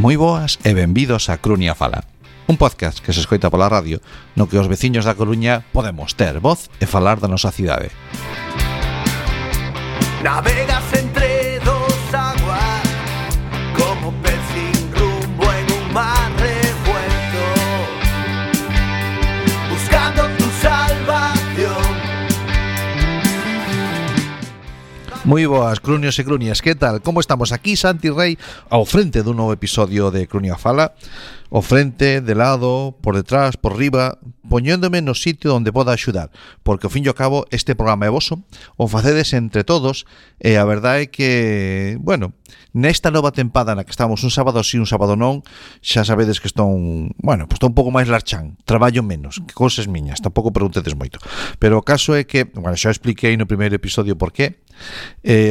Moi boas e benvidos a Crunia Fala, un podcast que se escoita pola radio no que os veciños da Coruña podemos ter voz e falar da nosa cidade. Navegas entre dos aguas como pez sin rumbo en un mar revuelto, buscando tu salvación. Moi boas, crunios e crunias, que tal? Como estamos aquí, Santi Rei, ao frente dun novo episodio de Crunia Fala, ao frente, de lado, por detrás, por riba, poñéndome no sitio onde poda axudar, porque ao fin e ao cabo este programa é voso, o facedes entre todos, e a verdade é que, bueno, nesta nova tempada na que estamos un sábado sí, un sábado non, xa sabedes que estou bueno, pues estou un pouco máis larchán, traballo menos, que cousas miñas, tampouco preguntedes moito, pero o caso é que, bueno, xa expliquei no primeiro episodio por qué.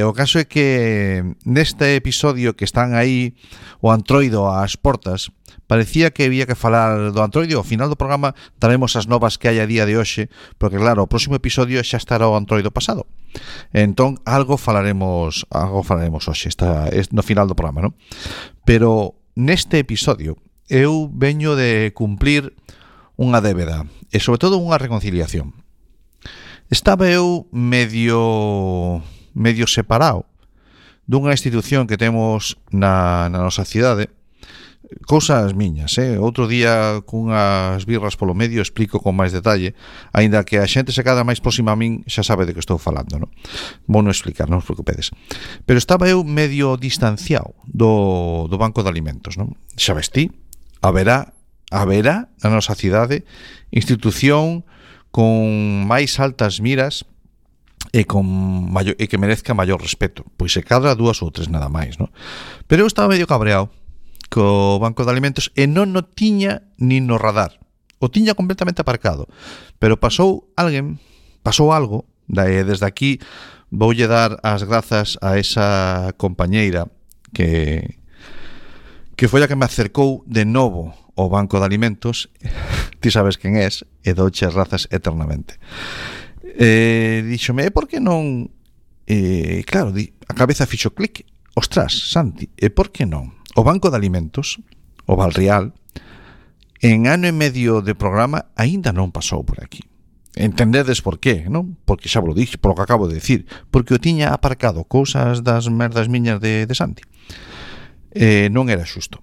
O caso é que neste episodio que están aí o Antroido ás portas, parecía que había que falar do Antroido. Ao final do programa daremos as novas que hai a día de hoxe, porque claro, o próximo episodio xa estará o Antroido pasado. Entón, algo falaremos hoxe, no final do programa, non? Pero neste episodio eu veño de cumplir unha débeda e sobre todo unha reconciliación. Estaba eu medio separado dunha institución que temos na nosa cidade, cousas miñas, outro día cunhas birras polo medio explico con máis detalle, aínda que a xente se cada máis próxima a min xa sabe de que estou falando, non? Vou non explicar, non os preocupedes. Pero estaba eu medio distanciado do Banco de Alimentos, non? Xa vestí, haberá na nosa cidade institución con máis altas miras e que merezca maior respeto, pois se cadra dúas ou tres nada máis, non? Pero eu estaba medio cabreado co Banco de Alimentos e non o tiña nin no radar, o tiña completamente aparcado, pero pasou algo, desde aquí voulle dar as grazas a esa compañeira que foi a que me acercou de novo ao Banco de Alimentos. Ti sabes quen és e douche as grazas eternamente. Díxome, por que non? Claro, a cabeza fixo clic. Ostras, Santi, por que non? O Banco de Alimentos, o Valreal, en ano e medio de programa aínda non pasou por aquí. Entendedes por qué, non? Porque xa vos lo dixo, por lo que acabo de decir, porque o tiña aparcado, cousas das merdas miñas de Santi. Non era xusto,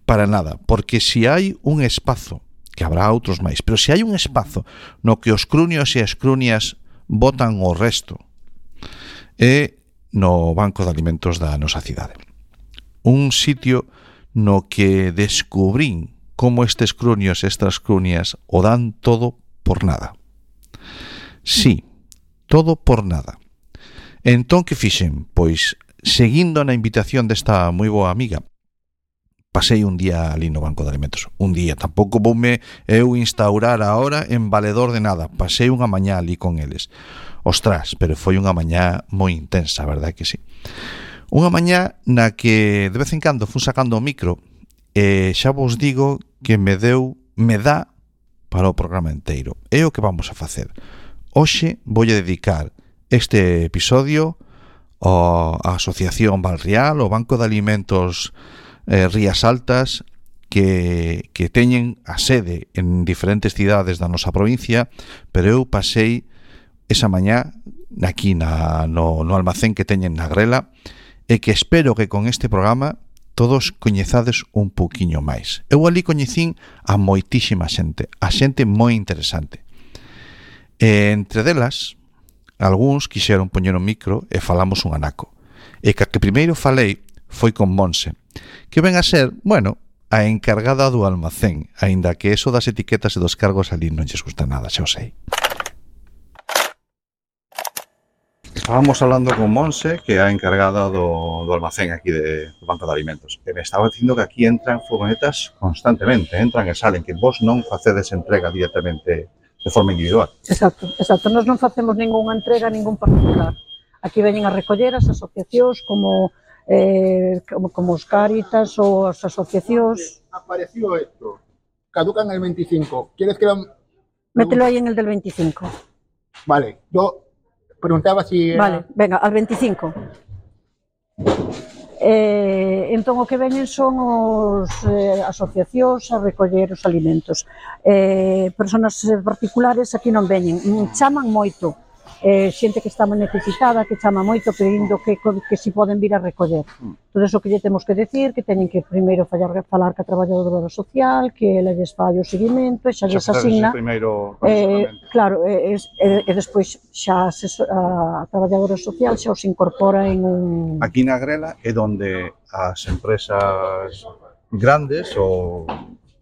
para nada, porque se hai un espazo, que habrá outros máis, pero se hai un espazo no que os crunios e as crunias botan o resto, é no Banco de Alimentos da nosa cidade. Un sitio no que descubrín como estes crunios e estas crunias o dan todo por nada. Sí, todo por nada. Entón, que fixen? Pois, seguindo na invitación desta moi boa amiga, pasei un día ali no Banco de Alimentos. Un día, tampouco voume eu instaurar ahora en valedor de nada. Pasei unha mañá ali con eles. Ostras, pero foi unha mañá moi intensa, verdad que sí. Unha mañá na que de vez en cando fun sacando o micro e xa vos digo que me dá para o programa inteiro. É o que vamos a facer. Hoxe voulle dedicar este episodio á Asociación Valreal, ao Banco de Alimentos Rías Altas, que teñen a sede en diferentes cidades da nosa provincia, pero eu pasei esa mañá aquí no almacén que teñen na Grela, e que espero que con este programa todos coñezades un pouquiño máis. Eu ali coñecín a moitísima xente, a xente moi interesante. E entre delas, algúns quixeron poñer un micro e falamos un anaco. E que primeiro falei foi con Monse, que ven a ser, bueno, a encargada do almacén, aínda que eso das etiquetas e dos cargos ali non lles gusta nada, xa o sei. Estábamos hablando con Monse, que é a encargada do almacén aquí do Banco de Alimentos, e me estaba dicindo que aquí entran furgonetas constantemente, entran e salen, que vos non facedes entrega directamente de forma individual. Exacto. Nós non facemos ningunha entrega a ningún particular. Aquí veñen a recoller as asociacións como os Cáritas ou as asociacións. Apareció esto, caducan el 25. ¿Quieres que lo...? Mételo ahí en el del 25. Vale, yo preguntaba si... Vale, venga, al 25. Entón o que veñen son os asociacións a recoller os alimentos. Personas particulares aquí non veñen, chaman moito. Xente que está moi necesitada, que chama moito pedindo que si poden vir a recoller. Todo eso que lle temos que decir, que teñen que primeiro falar ca traballadora social, que ela lles fai o seguimento, e xa lles asigna. Claro, e despois xa a traballadora social xa os incorpora en un... Aquí na Grela é onde as empresas grandes, ou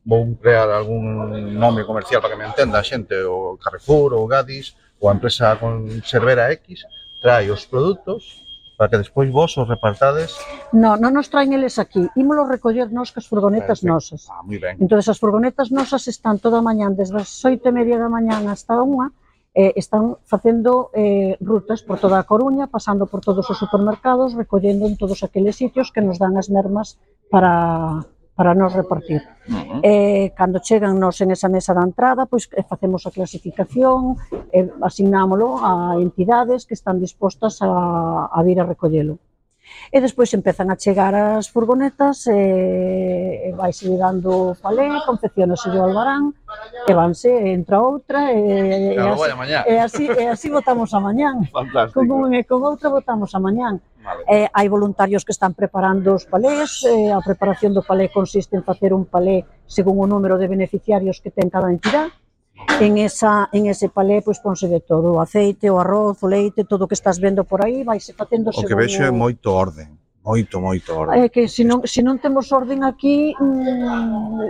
vou crear algún nome comercial para que me entenda a xente, o Carrefour, o Gadis, ou a empresa conservera X, trae os produtos para que despois vos os repartades. Non nos traen eles aquí, ímolos recoller nos cas furgonetas nosas. Moi ben. Entón, as furgonetas nosas están toda a mañán, desde as 8:30 da mañán hasta a 1, están facendo rutas por toda a Coruña, pasando por todos os supermercados, recollendo en todos aqueles sitios que nos dan as mermas para nos repartir. Cando chegan nos en esa mesa da entrada, pois facemos a clasificación, asignámolo a entidades que están dispostas a vir a recollelo. E despois empezan a chegar as furgonetas, vaise dando palé, confeccionase o albarán, e vanse, entra outra, e así botamos a mañán. Con un e con outra botamos a mañán. Hai voluntarios que están preparando os palés, a preparación do palé consiste en facer un palé según o número de beneficiarios que ten cada entidade. En ese palé pois ponse de todo, o aceite, o arroz, o leite, todo o que estás vendo por aí, vaise facendo según... O que vexo é moito orden, moito orden. É que se non temos orden aquí,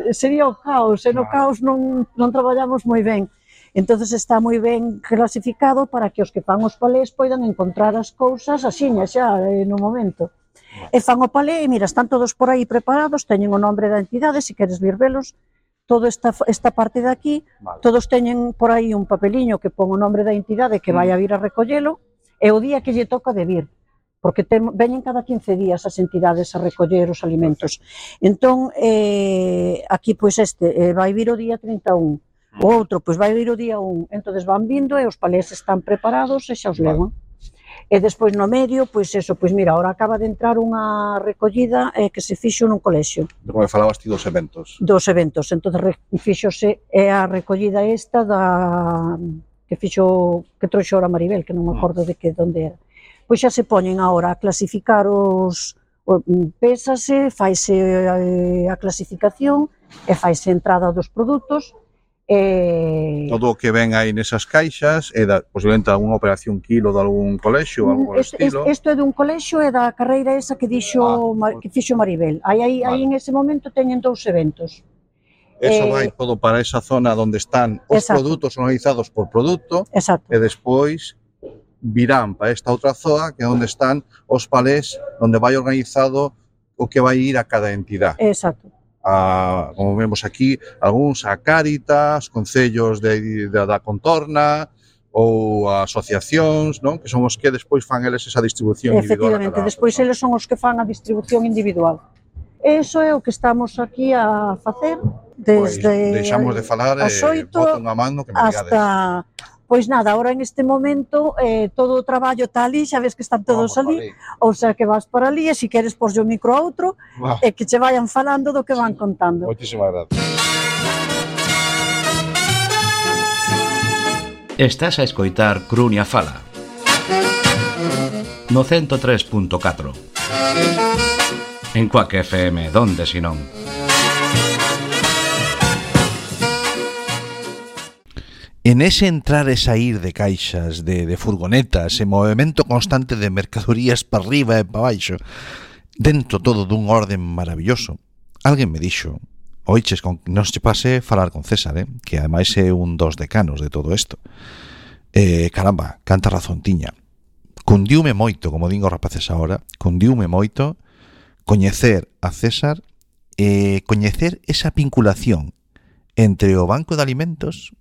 sería o caos, e no caos non traballamos moi ben. Entonces está moi ben clasificado para que os que fan os palés poidan encontrar as cousas axiña xa no momento. E fan o palé e mira, están todos por aí preparados, teñen o nombre da entidade, se queres vir velos, toda esta parte de aquí, todos teñen por aí un papeliño que pon o nombre da entidade que vai a vir a recollelo e o día que lle toca de vir, porque veñen cada 15 días as entidades a recoller os alimentos. Entón, aquí pois vai vir o día 31, o outro pois vai vir o día 1, entonces van vindo e os palés están preparados e xa os levan. E despois no medio, pois eso, pois mira, ahora acaba de entrar unha recollida que se fixo nun colexio. Como falabas ti dos eventos. Dos eventos, entonces fixose a recollida esta que trouxo ahora Maribel, que non me acordo de que onde era. Pois xa se poñen agora a clasificar pésase, faise a clasificación e faise a entrada dos produtos. Todo o que ven aí nesas caixas é posiblemente algunha operación kilo de algún colexio ou algo por estilo. Isto é dun colexio e da carreira esa que fixo Maribel. Aí en ese momento teñen 2 eventos. Eso vai todo para esa zona onde están os produtos organizados por produto e despois virán para esta outra zona que é onde están os palés onde vai organizado o que vai ir a cada entidade. Exacto. Como vemos aquí, algúns a Cáritas, concellos da contorna ou asociacións, non? Que son os que despois fan eles esa distribución individual. Efectivamente, despois eles son os que fan a distribución individual. Eso é o que estamos aquí a facer desde deixamos de falar as 8 boto unha mano que me hasta... Pois nada, ahora en este momento todo o traballo está ali, xa ves que están todos ali, ou sea que vas para ali e se queres porlle o micro a outro e que che vayan falando do que van contando. Moitísimas gracias. Estás a escoitar Crunia Fala no 103.4 en Cuac FM, donde si non. En ese entrar e sair de caixas, de furgonetas, e movimento constante de mercadorías para arriba e para baixo, dentro todo dun orden maravilloso, alguén me dixo, oiches, non se pase falar con César, que ademais é un dos decanos de todo isto. Caramba, canta razón tiña. Cundiume moito, como din os rapaces agora, cundiume moito coñecer a César e coñecer esa vinculación entre o Banco de Alimentos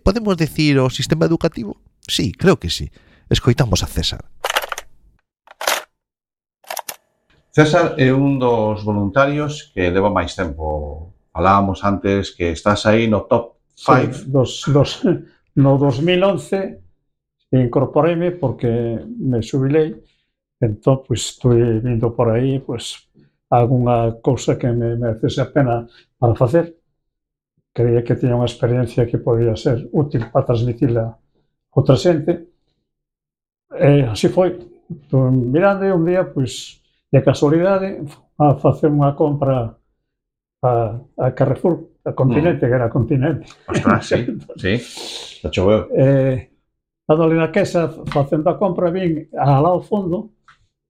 podemos decir o sistema educativo? Sí, creo que sí. Escoitamos a César. César é un dos voluntarios que leva máis tempo. Falábamos antes que estás aí no top 5. No 2011 incorporeime porque me xubilei Entón, pois, estuve vindo por aí, pois, algunha cousa que me merecese a pena para facer. Creía que tiña unha experiencia que podía ser útil para transmitila a outra xente. E así foi. Mirando un día, pois, de casualidade, a facer unha compra a Carrefour, a Continente, que era Continente. Ostras, sí, sí. Lo choveu. Dando ali na queixa, facendo a compra, vin alá ao fondo,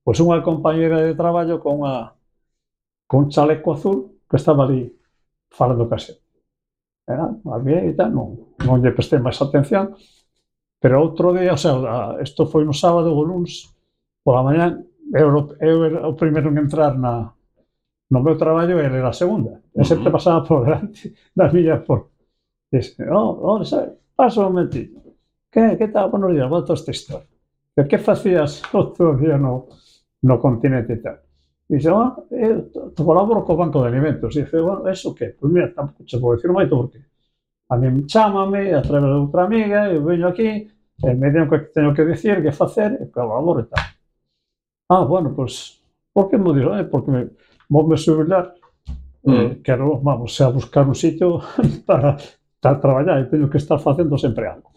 pois unha compañera de traballo con un chaleco azul que estaba ali falando case. A mí e tal, non lle prestei máis atención, pero outro día, o sea, isto foi no sábado ou luns, pola mañá, eu era o primeiro en entrar no meu traballo e ele era a segunda. E sempre pasaba por delante da miña porta. Dice, pasa un momentito. Que tal? Buenos días, volto a esta historia. Que facías outro día no Continente e tal? Dice, eu colaboro co Banco de Alimentos. Dice, bueno, eso que? Pois mira, tampouco che vou dicir moito porque a mí chámame a través de outra amiga, eu veño aquí, e me digo que teño que dicir, que facer, e colaboro e tal. Bueno, pois, por que me dixo? Porque voume xubilar, quero, vamos, a buscar un sitio para traballar e teño que estar facendo sempre algo.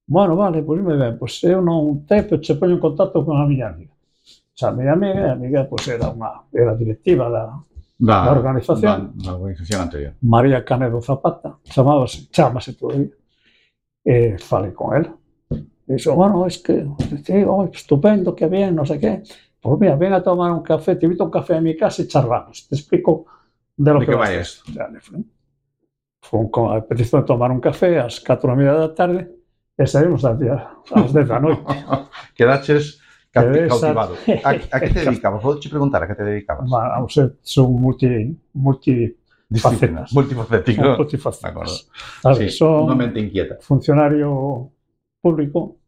Bueno, vale, pois me ben, pois eu non tepo, che poño en contacto con a miña amiga. A miña amiga, pois era directiva da organización. Da organización anterior. María Canedo Zapata, chámase todavía. Falei con ela. Dixo, bueno, es que, estupendo, que bien, non sei que. Pois mira, ven a tomar un café, te invito a un café a mi casa e charlamos. Te explico de lo que vai esto. Fue con a petición de tomar un café ás 4:30 da tarde e saímos ás 10 da noite. Quedaches cautivado. A que te dedicabas? Vou te preguntar a que te dedicabas. Vamos, son multifacéticos. Multifacéticos. Son unha mente inquieta. Funcionario público.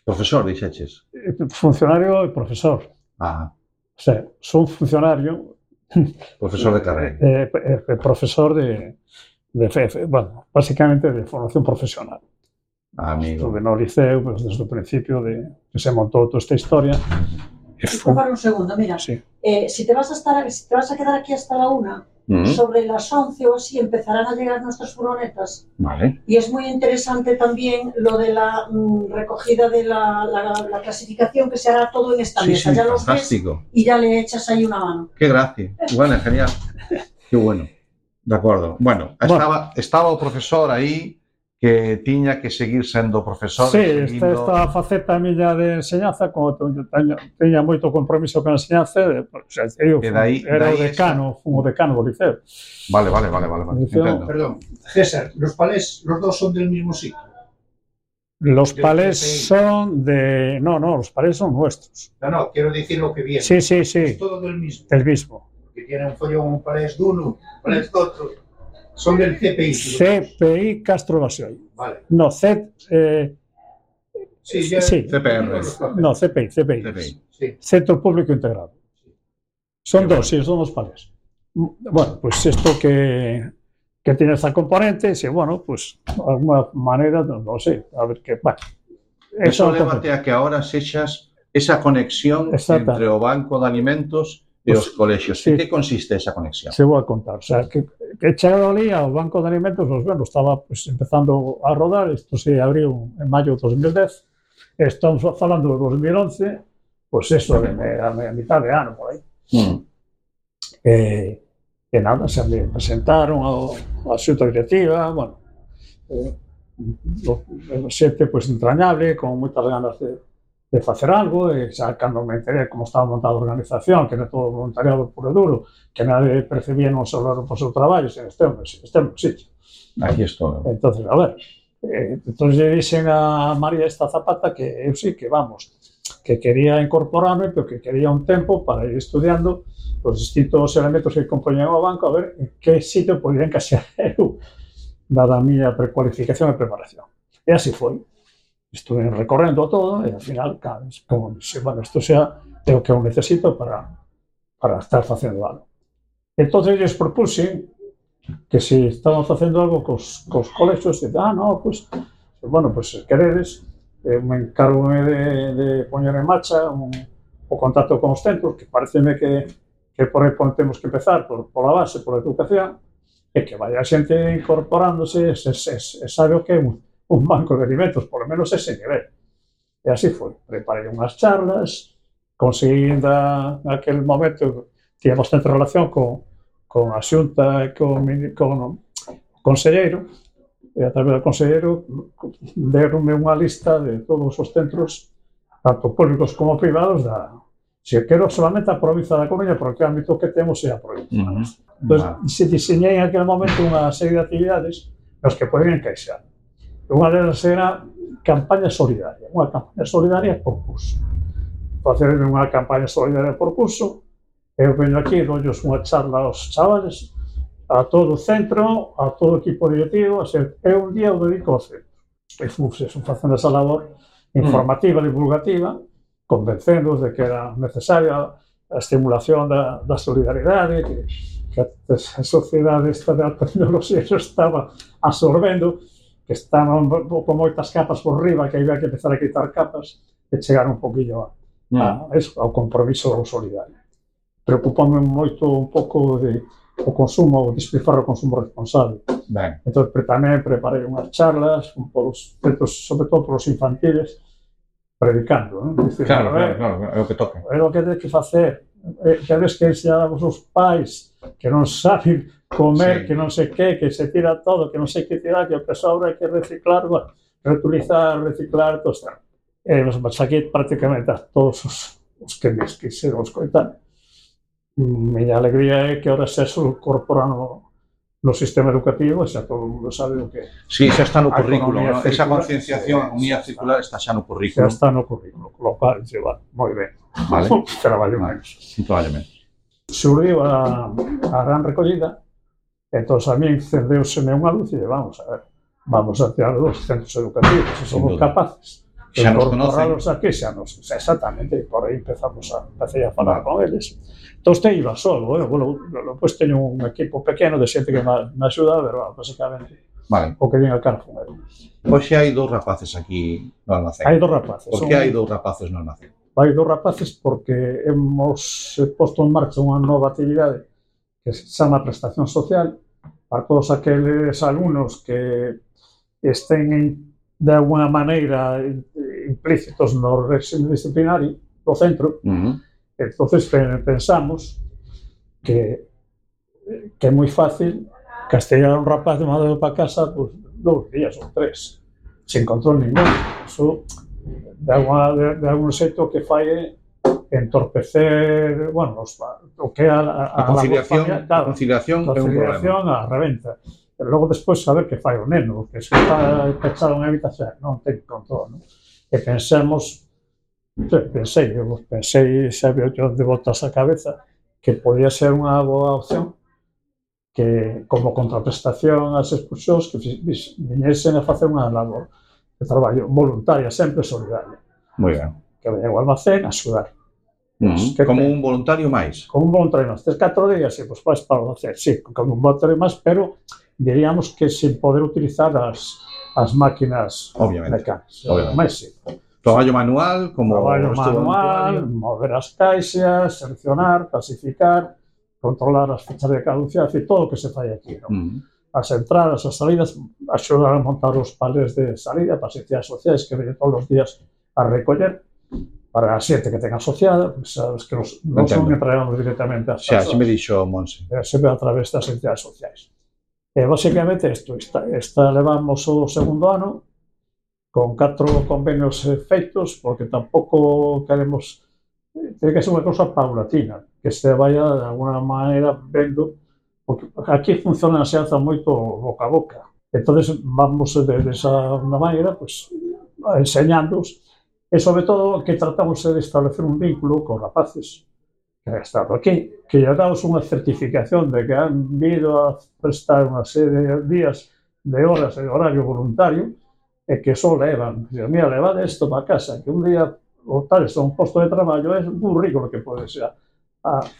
Profesor, dixeches? Funcionario e profesor. O sea, son funcionario... Profesor de carreira. Profesor bueno, básicamente de formación profesional. Amigo. Estuve no liceo, pues, desde o principio que se montou toda esta historia. Para un segundo, mira, si te vas a quedar aquí hasta la 1, sobre las 11 o así empezarán a llegar nuestras furgonetas. Vale. Y es muy interesante también lo de la recogida de la clasificación, que se hará todo en esta mesa. Ya los ves y ya le echas ahí una mano. Qué gracia. Bueno, genial. Qué bueno. De acordo. Bueno, estaba o profesor aí que tiña que seguir sendo profesor. Sí, esta faceta miña de enseñanza, como teña moito compromiso con a enseñanza, eu era o decano do liceo. Vale. Liceo, perdón, César, los palés, los dos son del mismo sitio. Los palés son de... No, los palés son nuestros. No, quiero decir lo que viene. Sí. Es todo del mismo. Del mismo. Que tiene un follón, un palés de uno, un palés de otro. Son del CPI. CPI Castro Basioy. Vale. No, CPR. No, CPI. Sí. Centro Público Integrado. Son dos, sí, son dos palés. Bueno, pues esto que tiene esta componente, sí, bueno, pues de alguna manera, no sé, a ver qué va. Eso lévate a que ahora sexas esa conexión entre o Banco de Alimentos e os colexios. En que consiste esa conexión? Se vou a contar. O sea, que chegado ali ao Banco de Alimentos, pues, bueno, estaba pues, empezando a rodar, isto se abriu en maio de 2010, estamos falando de 2011, pues eso, a mitad de ano, por aí. E nada, se me presentaron a xunta directiva, bueno, xente pues, entrañable, con moitas ganas de facer algo, e xa cando me enteré como estaba montada a organización, que era todo voluntariado puro e duro, que nadie percibía non só por seu traballo, sen este no sitio. Aquí estou. Entonces, a ver, entonces lle dixen a María esta Zapata que eu sí, que vamos, que quería incorporarme, pero que quería un tempo para ir estudiando os distintos elementos que compoñen o banco, a ver en que sitio podía encaixar eu, dada a miña precualificación e preparación. E así foi. Estuve recorrendo todo e, ao final, como dixo, bueno, isto xa é o que eu necesito para estar facendo algo. Entón, lles propuse que se estaban facendo algo cos colexios, e no, pues, bueno, pues, se queredes, me encargo de poñer en marcha o contacto con os centros, que pareceme que por aí temos que empezar pola base, pola educación, e que vaya a xente incorporándose e sabe o que é un banco de alimentos, por lo menos ese nivel. E así foi. Preparei unhas charlas, conseguí naquele momento, tíamos tanta relación con a Xunta e con o conselleiro, e a través do conselleiro deronme unha lista de todos os centros, tanto públicos como privados, se quero solamente a provincia da Coruña, porque o ámbito que temos é a provincia. Entón, se diseñei en aquel momento unha serie de actividades nos que poden encaixar. Unha delas era campaña solidaria, unha campaña solidaria por curso. Facer unha campaña solidaria por curso, eu veño aquí, doullos unha charla aos chavales, a todo o centro, a todo o equipo directivo, eu un día o dedico ao centro. E fui facendo esa labor informativa, divulgativa, convencendo de que era necesaria a estimulación da solidaridade, que a sociedade esta da tecnoloxía se estaba absorbendo, que estaban con moitas capas por riba, que había que empezar a quitar capas e chegar un poquillo ao compromiso solidario. Preocupame moito un pouco o consumo, o despilfarro do consumo responsable. Entón, tamén preparei unhas charlas, sobre todo para os infantiles, predicando, non? Claro, é o que toca. É o que ten que facer. Xa ves que ensinamos os pais que non saben comer, que non sei que se tira todo, que non sei que tirar, que o que sobra hai que reciclar, reutilizar, reciclar, todo está. Mas aquí prácticamente a todos os que me quixeron escoitar. Miña alegría é que ahora se incorporan no sistema educativo e xa todo o mundo sabe o que... Sí, xa está no currículo, ¿no? Esa concienciación, a economía circular está xa no currículo. Xa está no currículo, lo cual lleva moi ben. Vale. Traballo menos. Probablemente. Surdiu a gran recollida, entón a mí encendeuseme unha luz e vamos a tirar dos centros educativos, se somos capaces de incorporarlos aquí, exactamente, e por aí empecé a falar con eles. Entón, iba solo, depois teño un equipo pequeno de xente que me axuda, pero basicamente o que vin a cara fun eu. Hoxe hai dous rapaces aquí no almacén. Hai dous rapaces. Por que hai dous rapaces no almacén? Hai dous rapaces porque hemos posto en marcha unha nova actividade que se chama prestación social para todos aqueles alumnos que estén de alguna maneira implícitos no régimen disciplinario do centro. Entonces pensamos que é moi fácil castigar a un rapaz de mandado para casa 2 días ou 3 sin control ningún. Eso de algún xeito que fai entorpecer, o que é a conciliación é un problema. A reventa. Pero logo despois saber que fai o neno, que se está pechado en habitación, non ten control, non? E pensei, xa veo de voltas a cabeza, que podía ser unha boa opción que, como contraprestación ás expulsións, que viñesen a facer unha labor de traballo voluntaria, sempre solidaria. Moi ben. Que veñen ao almacén a axudar. Como un voluntario máis? Como un voluntario máis. 4 días, pois vais para o hacer, sí, como un voluntario máis, pero diríamos que sin poder utilizar as máquinas mecánicas. Obviamente. Traballo manual, mover as caixas, seleccionar, clasificar, controlar as fechas de caducidade, todo o que se fai aquí, non? As entradas, as salidas, axudar a montar os palés de salida para as entidades sociais que veñen todos os días a recoller, para a xente que ten asociada, sabes que non son entregamos directamente ás persoas. Xa, me dixo Monse. Sempre a través das entidades sociais. E, basicamente, esta levamos o segundo ano, con 4 convenios feitos, porque tampouco queremos... Tiene que ser unha cousa paulatina, que se vaya de alguna maneira vendo, porque aquí funciona a xeanza moito boca a boca. Entón, vamos de esa maneira, pues, enseñándoos, e sobre todo que tratamos de establecer un vínculo con rapaces que han estado aquí, que lle damos unha certificación de que han vindo a prestar unha serie de días, de horas de horario voluntario, e que só levan, mira, levade isto para casa, que un día o tal, isto é un posto de traballo, é un currículo que pode ser.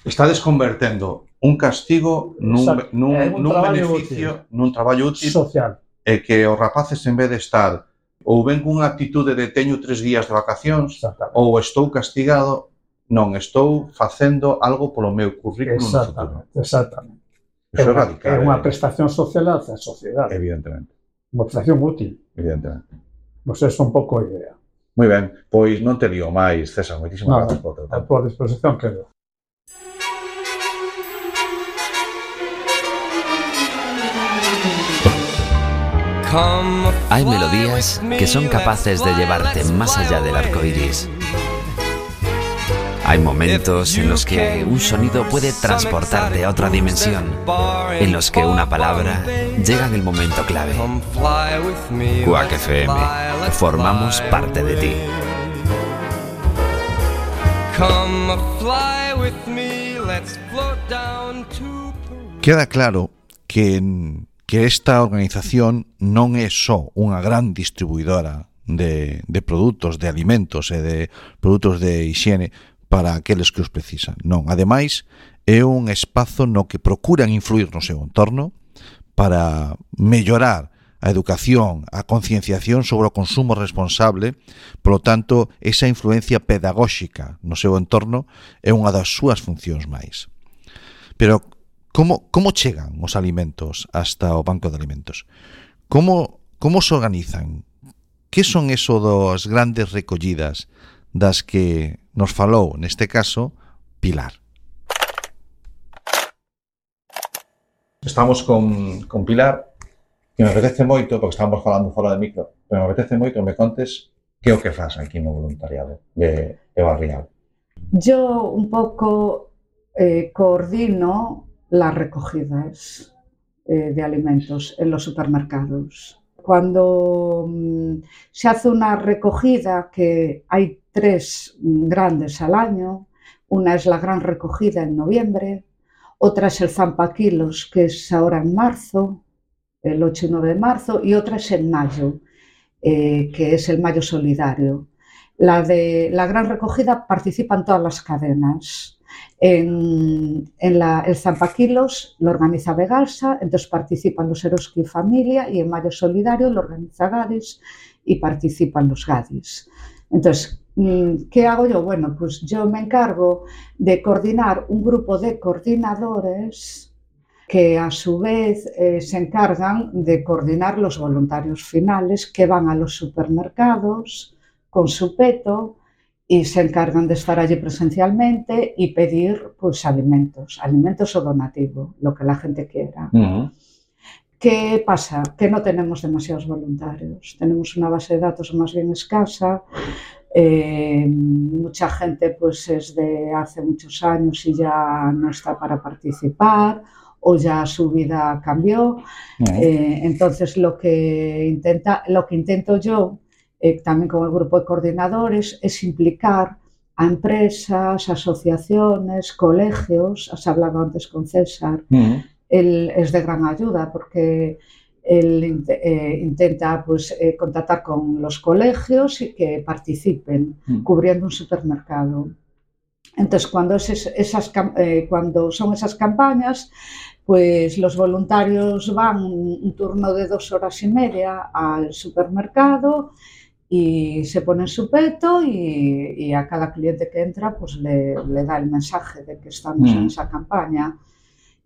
Estades convertendo un castigo nun beneficio, nun traballo útil social. E que os rapaces, en vez de estar ou ben cunha actitude de teño 3 días de vacacións ou estou castigado, non estou facendo algo polo meu currículum no futuro. Exactamente. Iso é radical. É unha prestación social hacia a sociedade. Evidentemente. Unha prestación útil. Evidentemente. Pois esa é un pouco a idea. Moi ben, pois non te lío máis, César, moitísimas gracias por teu A tempo. tua disposición quedo. Hay melodías que son capaces de llevarte más allá del arco iris. Hay momentos en los que un sonido puede transportarte a otra dimensión, en los que una palabra llega en el momento clave. Quack FM, formamos parte de ti. Queda claro que esta organización non é só unha gran distribuidora de produtos, de alimentos e de produtos de higiene para aqueles que os precisan. Non, ademais, é un espazo no que procuran influir no seu entorno para mellorar a educación, a concienciación sobre o consumo responsable. Polo tanto, esa influencia pedagóxica no seu entorno é unha das súas funcións máis. Pero como chegan os alimentos hasta o banco de alimentos? Como se organizan? Que son eso das grandes recollidas das que nos falou, neste caso, Pilar? Estamos con Pilar, que me apetece moito, porque estamos falando fora de micro, pero me apetece moito que me contes que é o que faz aquí no voluntariado de Barrial. Yo un pouco coordino las recogidas de alimentos en los supermercados. Cuando se hace una recogida, que hay 3 grandes al año, una es la gran recogida en noviembre, otra es el Zampaquilos, que es ahora en marzo, el 8 y 9 de marzo, y otra es en mayo, que es el Mayo Solidario. La gran recogida participan todas las cadenas. El Zampaquilos lo organiza Vegalsa, entonces participan los Eroski Familia, y en Mayo Solidario lo organiza Gadis y participan los Gadis. Entonces, ¿qué hago yo? Bueno, pues yo me encargo de coordinar un grupo de coordinadores que a su vez se encargan de coordinar los voluntarios finales que van a los supermercados con su peto y se encargan de estar allí presencialmente y pedir pues alimentos o donativo, lo que la gente quiera. ¿Qué pasa? Que no tenemos demasiados voluntarios, tenemos una base de datos más bien escasa, mucha gente pues es de hace muchos años y ya no está para participar o ya su vida cambió, entonces lo que intento yo también con el grupo de coordinadores es implicar a empresas, asociaciones, colegios. Has hablado antes con César, él es de gran ayuda porque él intenta pues, contactar con los colegios y que participen cubriendo un supermercado. Entonces, cuando son esas campañas, pues los voluntarios van un turno de 2 horas y media al supermercado y se ponen su peto y a cada cliente que entra pues le da el mensaje de que estamos en esa campaña.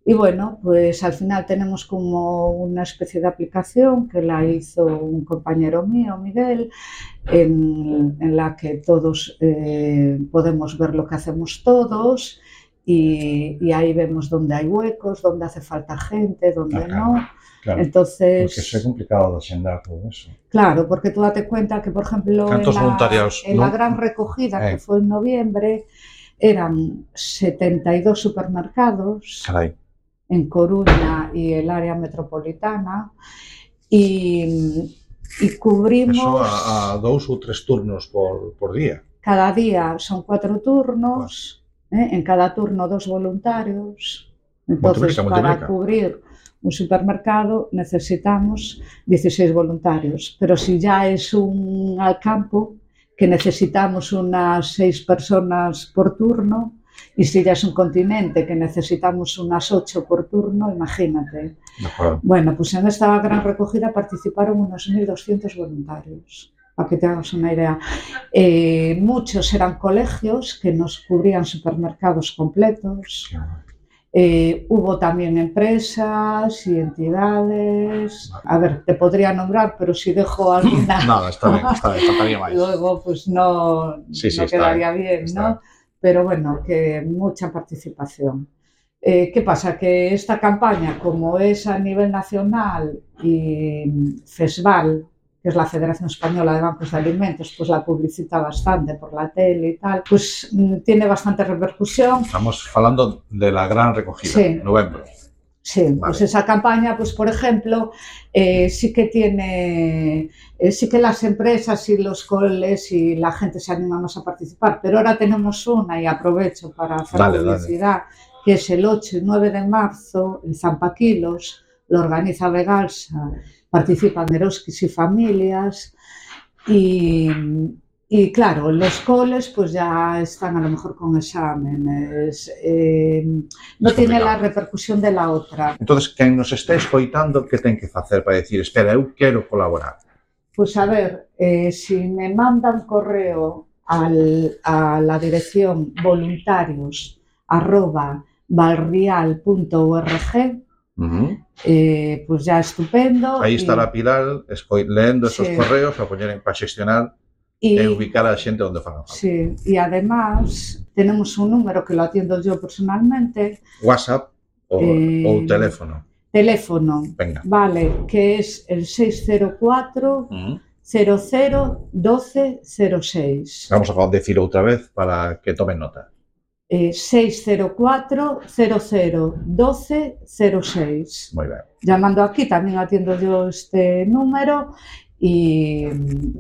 Y bueno, pues al final tenemos como una especie de aplicación que la hizo un compañero mío, Miguel, en la que todos podemos ver lo que hacemos todos y ahí vemos dónde hay huecos, dónde hace falta gente, dónde no. Claro, entonces, porque eso es complicado de agendar todo eso. Claro, porque tú date cuenta que, por ejemplo, en la gran recogida que fue en noviembre, eran 72 supermercados. Caray. En Coruña y el área metropolitana y cubrimos... Eso a 2 ou 3 turnos por día. Cada día son 4 turnos, en cada turno 2 voluntarios. Entonces, para cubrir un supermercado necesitamos 16 voluntarios, pero si ya es un al campo, que necesitamos unas 6 personas por turno, y si ya es un continente que necesitamos unas 8 por turno, imagínate. Bueno, pues en esta gran recogida participaron unos 1.200 voluntarios. para que te hagas una idea. Muchos eran colegios que nos cubrían supermercados completos. Hubo también empresas y entidades. A ver, te podría nombrar, pero si dejo alguna... No, está bien, faltaría más. Luego, pues no quedaría bien, ¿no? Pero bueno, que mucha participación. ¿Qué pasa? Que esta campaña, como es a nivel nacional y FESVAL, que es la Federación Española de Bancos de Alimentos, pues la publicita bastante por la tele y tal, pues tiene bastante repercusión. Estamos hablando de la gran recogida, sí. Novembro. Sí, vale. Pues esa campaña, pues por ejemplo, sí que tiene, sí que las empresas y los coles y la gente se animan más a participar, pero ahora tenemos una, y aprovecho para hacer publicidad, que es el 8 y 9 de marzo, el Zampaquilos, lo organiza Vegalsa, participan Eroskis y familias, y claro, los coles pues ya están a lo mejor con exámenes, no tiene la repercusión de la otra. Entonces, quen nos este escoitando, que ten que facer para decir, espera, eu quero colaborar? Pues a ver, si me mandan correo a la dirección voluntarios@valrial.org, pues ya estupendo. Aí estará Pilar lendo esos correos para poñer para xestionar e ubicar a xente onde faga falta. Sí, y además tenemos un número que lo atiendo yo personalmente. WhatsApp ou teléfono. Teléfono, venga. Vale, que es el 604 00 12 06. Vamos a decirlo outra vez para que tomen nota. 604 00 12 06. Muy bien. Llamando aquí también atiendo yo este número y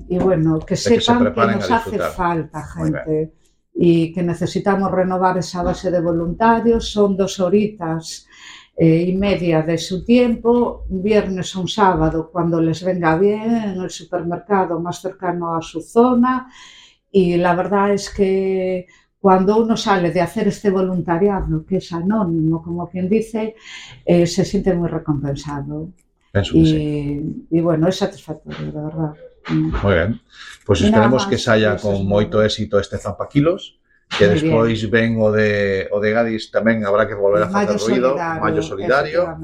bueno, que sepan que nos hace falta gente y que necesitamos renovar esa base de voluntarios. Son 2 horitas y media de su tiempo, un viernes o un sábado, cuando les venga bien, en el supermercado más cercano a su zona. Y la verdad es que cuando uno sale de hacer este voluntariado, que es anónimo, como quien dice, se siente muy recompensado. Y bueno, es satisfactorio, de verdad. Muy bien. Pues esperemos que saia con moito éxito este Zampaquilos, que despois ven o de Gadis tamén habrá que volver a facer ruido, Maio Solidario, a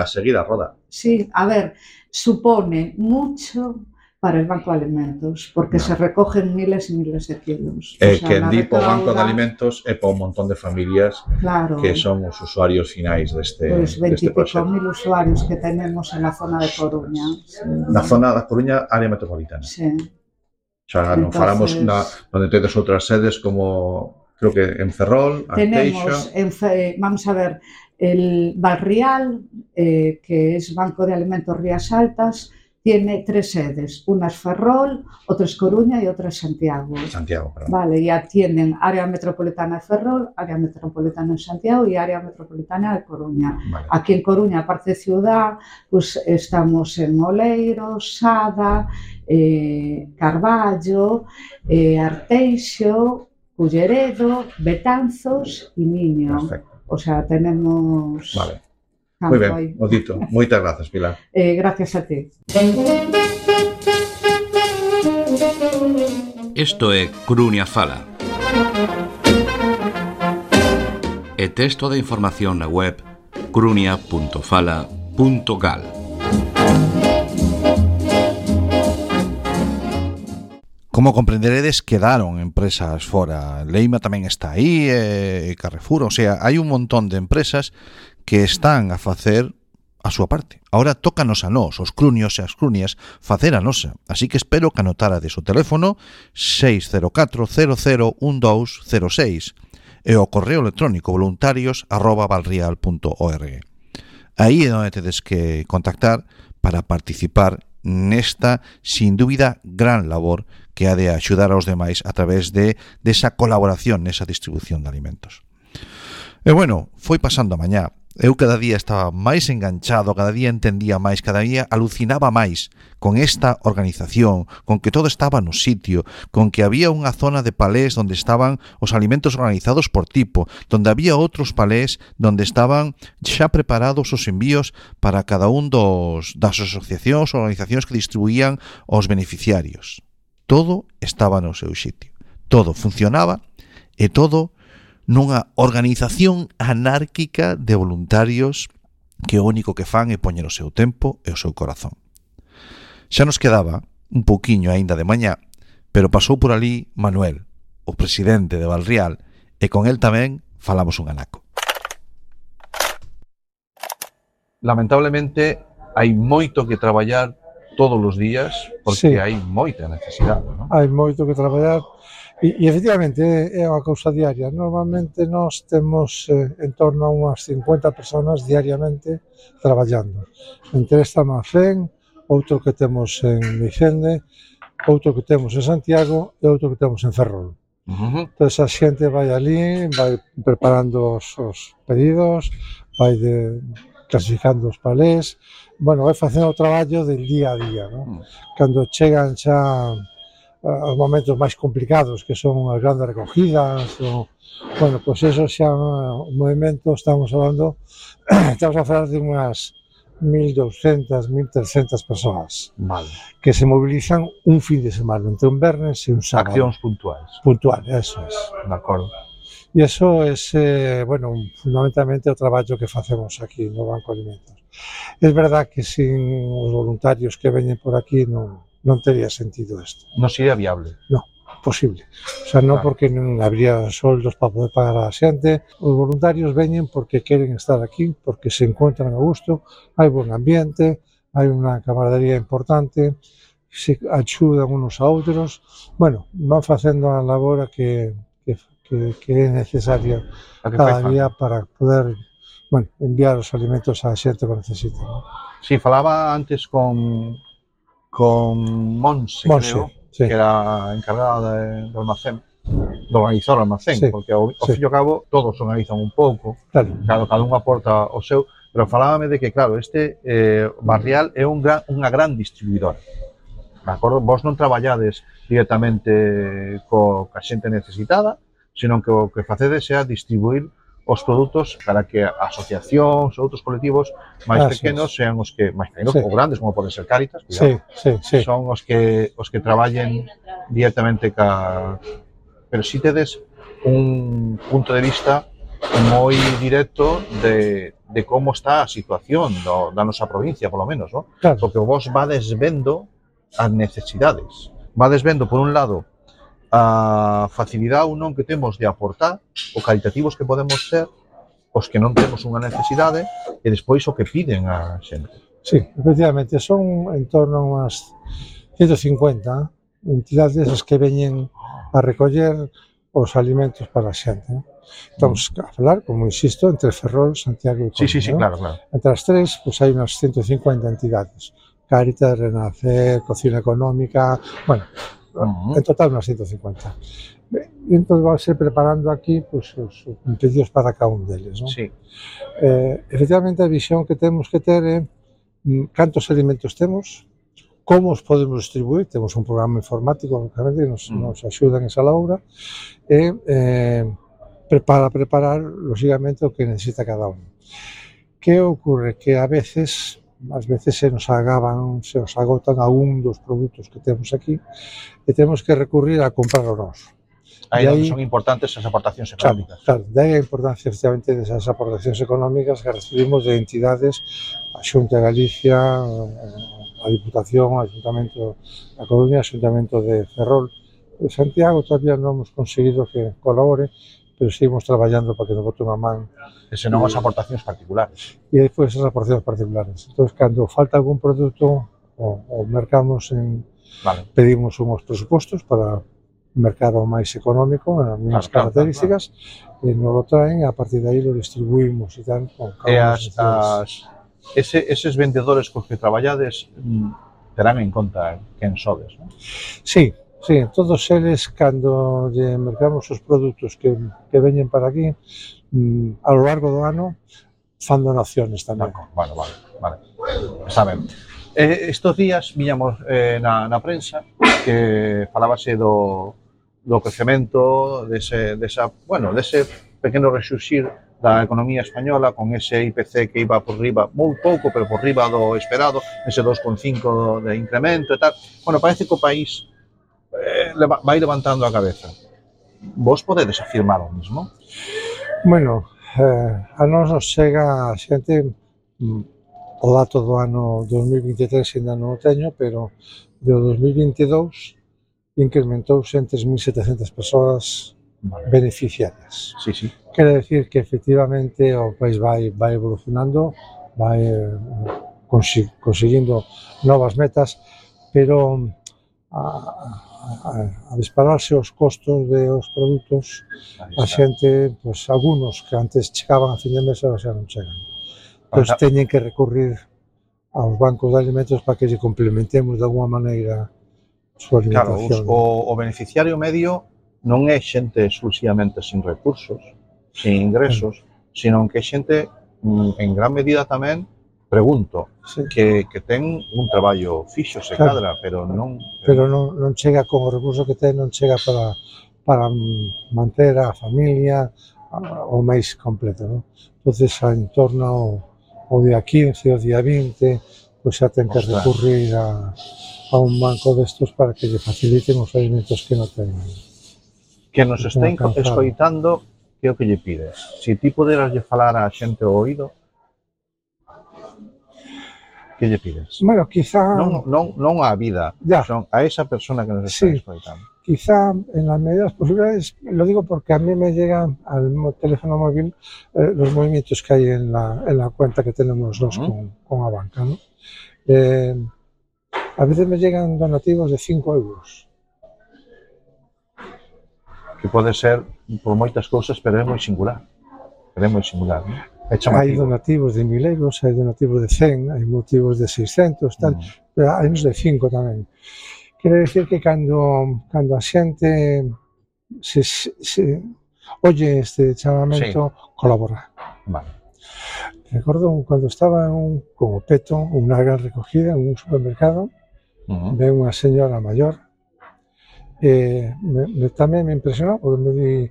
seguir a roda. Sí, a ver, supone mucho para el Banco de Alimentos, porque se recogen miles y miles de kilos. Que en Dipo Banco de Alimentos é para un montón de familias que son os usuarios finais deste proxecto. Pues 20.000 usuarios que tenemos en la zona de Coruña. Na zona da Coruña, área metropolitana. Sí. Xa non falamos onde tedes outras sedes como, creo que en Ferrol, Tenemos, vamos a ver, el Valrial, que es Banco de Alimentos Rías Altas, tiene 3 sedes, una es Ferrol, otra es Coruña y otra es Santiago. Santiago, perdón. Vale, ya tienen área metropolitana de Ferrol, área metropolitana de Santiago y área metropolitana de Coruña. Vale. Aquí en Coruña, aparte de ciudad, pues estamos en Oleiro, Sada, Carballo, Arteixo, Culleredo, Betanzos y Miño. Perfecto. O sea, tenemos... Vale. Muy ben, o dito. Moitas grazas, Pilar. Gracias a ti. Isto é Coruña Fala. E texto de información na web coruña.fala.gal. Como comprenderedes, quedaron empresas fora. Leima tamén está aí, Carrefour, o sea, hai un montón de empresas que están a facer a súa parte. Ahora tócanos a nós, os cruños e as cruñas, facer a nosa. Así que espero que anotarades o teléfono 604 00 1206 e o correo electrónico voluntarios@valrial.org. Aí é onde tedes que contactar para participar nesta, sin dúbida, gran labor que ha de axudar aos demais a través de esa colaboración nesa distribución de alimentos. E bueno, foi pasando a mañá Eu cada día estaba máis enganchado, cada día entendía máis, cada día alucinaba máis con esta organización, con que todo estaba no sitio, con que había unha zona de palés onde estaban os alimentos organizados por tipo, donde había outros palés donde estaban xa preparados os envíos para cada un das asociacións ou organizacións que distribuían aos beneficiarios. Todo estaba no seu sitio, todo funcionaba e todo nunha organización anárquica de voluntarios que o único que fan é poñer o seu tempo e o seu corazón. Xa nos quedaba un pouquiño aínda de mañá, pero pasou por ali Manuel, o presidente de Valrial, e con el tamén falamos un anaco. Lamentablemente, hai moito que traballar todos os días, porque hai moita necesidade, non? Hai moito que traballar. E efectivamente é unha cousa diaria. Normalmente nós temos en torno a unhas 50 personas diariamente traballando. Entre esta Mafén, outro que temos en Micende, outro que temos en Santiago e outro que temos en Ferrol. Entón a xente vai ali, vai preparando os pedidos, vai clasificando os palés, bueno, vai facendo o traballo del día a día, non? Cando chegan xa os momentos máis complicados, que son as grandes recogidas, bueno, pois eso xa o movimento, estamos a falar de unhas 1.200, 1.300 persoas que se mobilizan un fin de semana, entre un vernes e un sábado. Accións puntuais. Puntual, eso es. De acordo. E eso é, bueno, fundamentalmente o traballo que facemos aquí no Banco de Alimentos. É verdad que sin os voluntarios que veñen por aquí non tería sentido isto. Non sería viable. Non, posible. O sea, non porque non habría soldos para poder pagar a xente. Os voluntarios veñen porque queren estar aquí, porque se encontran a gusto, hai buen ambiente, hai unha camaradería importante, se axudan unos a outros. Bueno, van facendo a labor que é necesaria cada día para poder, bueno, enviar os alimentos á xente que necesita. Sí, falaba antes con Monse, creo, que era encargada do almacén, de organizar o almacén, porque ao fin e ao cabo todos organizan un pouco, cada un aporta o seu, pero falábame de que, claro, este Barrial é unha gran distribuidora. De acordo? Vos non traballades directamente coa xente necesitada, senón que o que facedes é distribuir os produtos para que asociacións ou outros colectivos máis pequenos sean os que, máis pequenos ou grandes, como poden ser Cáritas, son os que traballen directamente pero si tedes un punto de vista moi directo de como está a situación da nosa provincia, polo menos, non? Porque vos vades vendo as necesidades, vades vendo, por un lado, a facilidade ou non que temos de aportar, o caritativos que podemos ser, os que non temos unha necesidade, e despois o que piden a xente. Sí, efectivamente, son en torno a unhas 150 entidades as que veñen a recoller os alimentos para a xente. Estamos a falar, como insisto, entre Ferrol, Santiago e Coruña. Sí, claro. Entre as tres, hai unhas 150 entidades. Cáritas, Renacer, Cocina Económica, bueno, en total unas 150. E entón vamos a ir preparando aquí os pedidos para cada un deles, non? Sí. Efectivamente, a visión que temos que ter é cantos alimentos temos, como os podemos distribuir, temos un programa informático, lógicamente, que nos axuda en esa labora, e para preparar, lógicamente, o que necesita cada un. Que ocorre? Que a veces se nos agotan algún dos produtos que temos aquí e temos que recurrir a comprar o noso. Aí son importantes as aportacións económicas. Claro, daí a importancia, efectivamente, desas aportacións económicas que recibimos de entidades, a Xunta de Galicia, a Diputación, o Ayuntamento da Coruña, o Ayuntamento de Ferrol. De Santiago todavía non hemos conseguido que colabore, pero seguimos traballando para que nos bote unha man. E senón as aportacións particulares. E despois as aportacións particulares. Entón, cando falta algún produto, o mercamos pedimos unhos presupostos para mercado máis económico, as mesmas características, e nos lo traen, e a partir de aí lo distribuímos e tal. E eses vendedores cos que traballades terán en conta quen sodes, non? Sí, todos eles, cando lle mercamos os produtos que veñen para aquí, a lo largo do ano, fan donaciones tamén. Vale. Está ben. Estos días viñamos na prensa que falábase do crecemento dese pequeno resurxir da economía española con ese IPC que iba por riba, moi pouco, pero por riba do esperado, ese 2,5 de incremento e tal. Bueno, parece que o país vai levantando a cabeza. Vos podedes afirmar o mismo? Bueno, a nós nos chega a xente o dato do ano 2023 ainda non o teño, pero do 2022 incrementouse en 3.700 persoas beneficiarias. Sí. Quere decir que efectivamente o país vai evolucionando, vai conseguindo novas metas, pero a dispararse os costos dos produtos, a xente, pois, algunos que antes chegaban a fin de mes ahora xa non chegan. Entón, teñen que recurrir aos bancos de alimentos para que lle complementemos de alguma maneira a súa alimentación. Claro, o beneficiario medio non é xente exclusivamente sin recursos, sin ingresos, sino que é xente en gran medida tamén, pregunto, que ten un traballo fixo, se cadra, pero non chega con o recurso que ten, non chega para manter a familia o mês completo, non? Entonces, en torno ao día 15, ao día 20, pois xa ten que recurrir a un banco destos para que lle faciliten os alimentos que non ten. Que nos estén escoitando, que é o que lle pides? Se ti poderas lle falar a xente ao oído, que lle pides? Bueno, quizá... Non á vida, son a esa persona que nos está escoitando. Quizá en las medidas posibles, lo digo porque a mí me llegan al teléfono móvil los movimientos que hay en la cuenta que tenemos nosotros con la banca, ¿no? A veces me llegan donativos de 5 euros. Que pode ser por moitas cousas, pero é moi singular. ¿no? Hai donativos de 1.000 euros, hai donativos de 100, hai motivos de 600, tal, pero hai uns de 5 tamén. Quere decir que cando a xente se oye este chamamento, colabora. Vale. Recordo cando estaba con o peto, unha gran recogida en un supermercado, ven unha señora maior, tamén me impresionou, porque me di,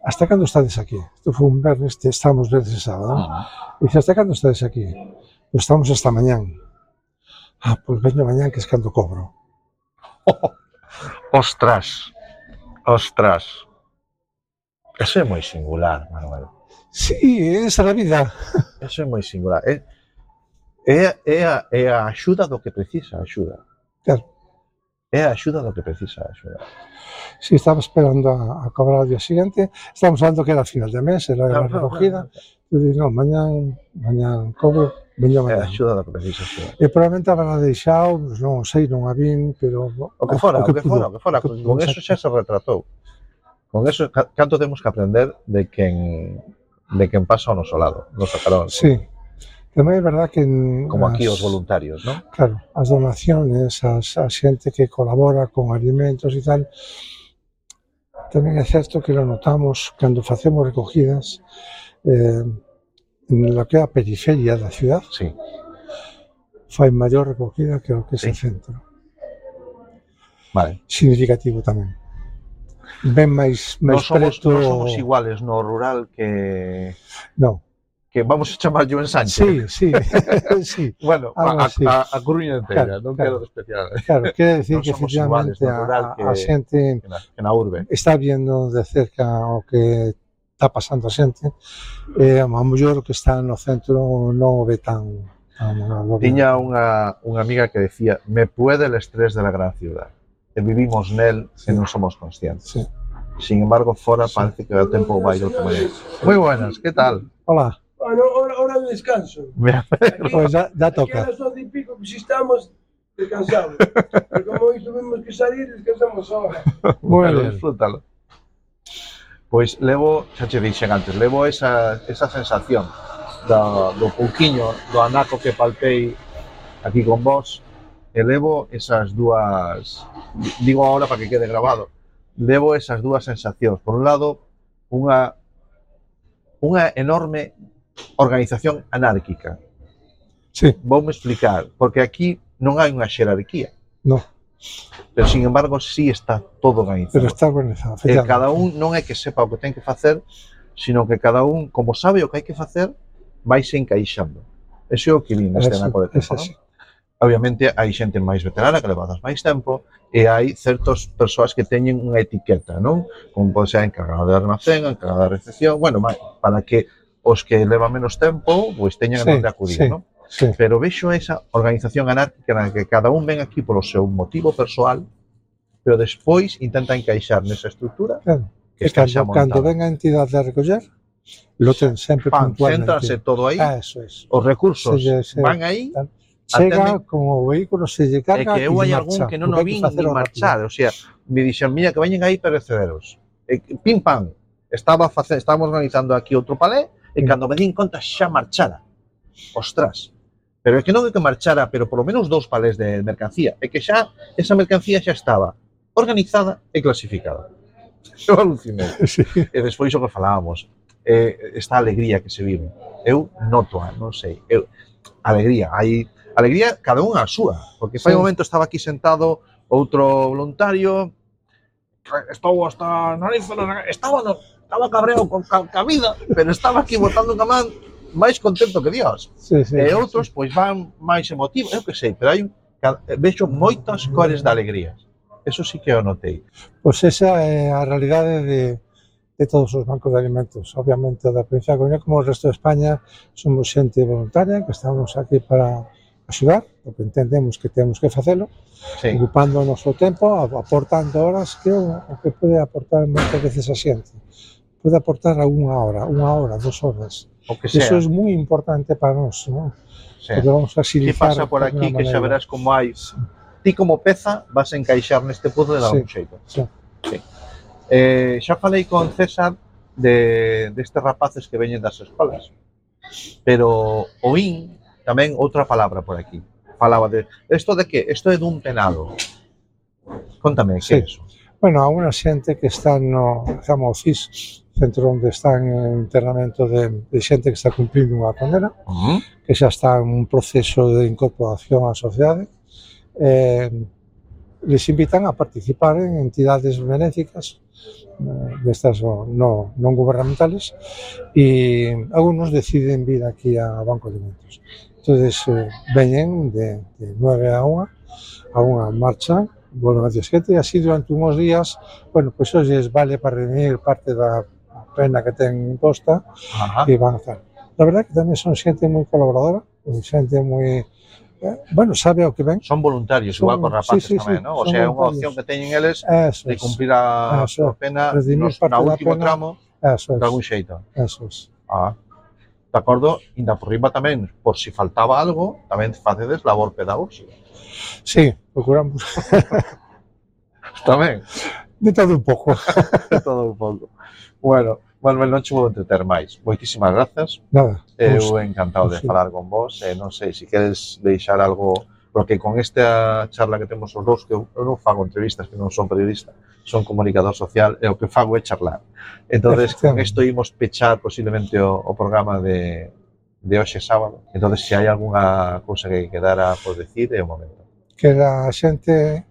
hasta cando estades aquí? Isto foi un vernes, estamos vernes e sábado. Dice, hasta cando estades aquí? Pois estamos hasta mañán. Pois veño mañán, que es cando cobro. Ostras. Eso é moi singular, Manuel. Sí, esa é a vida. Eso é moi singular. É a axuda do que precisa a axuda. Claro. É a axuda do que precisa a axuda. Si estaba esperando a cobrar o día siguiente, estamos falando que era a final de mes, era a recogida. Eu digo, non, mañán cobro, veño mañán. É a axuda do que precisa a axuda. E probablemente habrá deixado, non sei, non a vin, pero... O que fora. Con eso xa se retratou. Con eso, canto temos que aprender de quen pasa ao noso lado, nos sacaron. Sí. Tamén é verdad que... Como aquí os voluntarios, non? Claro, as donaciones, a xente que colabora con alimentos e tal, tamén é certo que lo notamos cando facemos recogidas en lo que é a periferia da ciudad. Sí. Fai maior recogida que o que é o centro. Vale. Significativo tamén. Ben máis preto... Non somos iguales no rural que... Non. Que vamos a chamarlle un ensanche. Sí. Bueno, a Coruña inteira, non quero despreciar. Claro, quere decir que efectivamente a xente na urbe está viendo de cerca o que está pasando a xente, a mellor o que está no centro non o ve tan... Tiña unha amiga que decía, me puede el estrés de la gran ciudad, e vivimos nel e non somos conscientes. Sin embargo, fora parece que o tempo vai de outra maneira. Moi buenas, que tal? Hola. Bueno, hora de descanso. Pues ya toca. Aquí a las 12 y pico, pues si estamos, descansamos. Pero como hoy tuvimos que salir, descansamos ahora. Bueno, disfrútalo. Pois levo, xa che dixen antes, levo esa sensación do pouquiño, do anaco que palpei aquí con vos, e levo esas dúas, digo ahora para que quede grabado, levo esas dúas sensacións. Por un lado, unha enorme organización anárquica. Sí. Voume explicar, porque aquí non hai unha xerarquía. No. Pero, sin embargo, sí está todo organizado. Pero está organizado. Cada un non é que sepa o que ten que facer, sino que cada un, como sabe o que hai que facer, vaise encaixando. Eso é o que vin neste naco de tempo, non? Obviamente, hai xente máis veterana que levadas máis tempo e hai certas persoas que teñen unha etiqueta, non? Como pode ser encargado de almacén, encargado de recepción, bueno, para que os que levan menos tempo, pois teñan onde acudir, non? Sí. Pero vexo esa organización anárquica na que cada un ven aquí polo seu motivo persoal, pero despois intenta encaixar nesa estrutura. Claro. Que está xa montada. Cando ven a entidade a recoller, lo ten sempre puntualmente. Céntrase todo aí, eso es. Os recursos van aí, chega como o vehículo, se lle carga e que eu hai algún que non o vin ni marchar, o sea, me dixen, mira, que veñen aí perecederos. Pim pam, estábamos organizando aquí outro palé e cando me din conta xa marchara. Ostras. Pero é que non é que marchara, pero polo menos 2 palés de mercancía. É que xa esa mercancía xa estaba organizada e clasificada. Eu alucinei. Sí. E despois o que falábamos, esta alegría que se vive. Eu noto, non sei, alegría, cada un a súa, porque fai un momento estaba aquí sentado outro voluntario, estou hasta nariz, estaba cabreado con a vida, pero estaba aquí botando unha man máis contento que Dios. E outros pois van máis emotivos, eu que sei, pero vexo moitas cores de alegría. Eso sí que eu notei. Pois esa é a realidade de todos os bancos de alimentos. Obviamente, da provincia de Coruña, como o resto de España, somos xente voluntaria, que estamos aquí para axudar, porque entendemos que temos que facelo, ocupando o noso tempo, aportando horas, que o que pode aportar moitas veces a xente. Pode aportar a 1 hora, 2 horas. Eso é moi importante para nós, non? Porque vamos a facilitar. Que pasa por aquí, que xa verás como hai... Ti como peza vas a encaixar neste puzzle de algún xeito. Xa falei con César destes rapaces que veñen das escolas, pero oín tamén outra palabra por aquí. Falaba de... Isto de que? Isto é dun penado. Contame, que é iso? Bueno, a unha xente que está no CIS, centro onde están en internamento de xente que está cumplindo unha condena, que xa está en un proceso de incorporación á sociedade. Les invitan a participar en entidades benéficas destas non gubernamentales e algunos deciden vir aquí a Banco de Alimentos. Entonces veñen de 9 a 1 a unha marcha, volven a 7 e así durante uns días, bueno, pois hoxe vale para reunir parte da pena que ten imposta e van a estar. La verdad que tamén son xente moi colaboradora, xente moi... Bueno, sabe o que ven. Son voluntarios, igual con rapaces tamén, non? O sea, é unha opción que teñen eles de cumplir a pena na último tramo de algún xeito. Eso es. De acordo, ainda por riba tamén, por si faltaba algo, tamén facedes labor pedagóxica. Sí, procuramos. Tamén. De todo un pouco. De todo un pouco. Bueno, Manuel, non che vou entreter máis. Moitísimas grazas. Nada. Eu encantado de falar con vos. Non sei, se queres deixar algo, porque con esta charla que temos os dous, que eu non fago entrevistas, que non son periodista, son comunicador social, e o que fago é charlar. Entonces, con isto imos pechar posiblemente o programa de hoxe sábado. Entonces, se hai algunha cousa que quedara por decir, é o momento. Que a xente,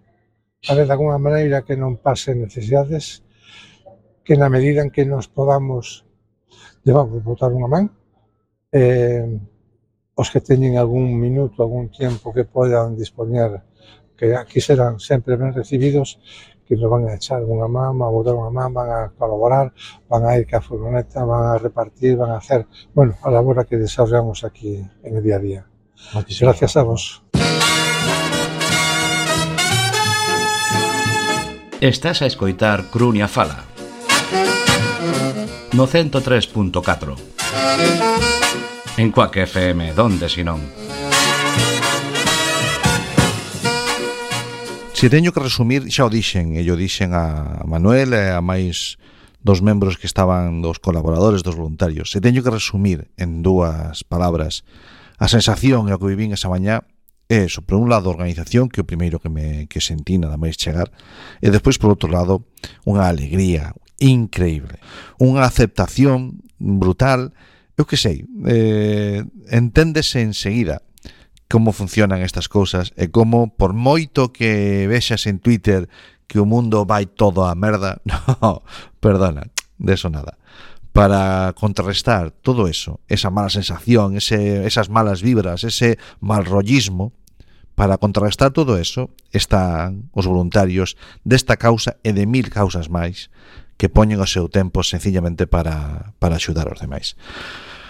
a ver, de alguna maneira, que non pase necesidades, que na medida en que nos podamos llevamos botar unha man, os que teñen algún minuto, algún tempo que podan dispoñer, que aquí serán sempre ben recibidos, que nos van a echar unha man, van a botar unha man, van a colaborar, van a ir ca furgoneta, van a repartir, van a hacer, bueno, a labor que desarrollamos aquí en el día a día. Gracias a vos. Estás a escoitar Crunia Fala no 103.4 en Cuac FM, donde si non. Se teño que resumir, xa o dixen, e yo dixen a Manuel e a máis dos membros que estaban, dos colaboradores, dos voluntarios. Se teño que resumir en 2 palabras a sensación e o que vivín esa mañá, é eso, por un lado a organización, que é o primeiro que sentí nada máis chegar, e despois por outro lado unha alegría increíble, unha aceptación brutal. eu que sei, enténdese enseguida como funcionan estas cousas e como, por moito que vexas en Twitter que o mundo vai todo a merda, no, perdona, de eso nada. Para contrarrestar todo eso, esa mala sensación, esas malas vibras, ese mal rollismo, para contrarrestar todo eso están os voluntarios desta causa e de 1000 causas máis que poñen o seu tempo sencillamente para axudar aos demais.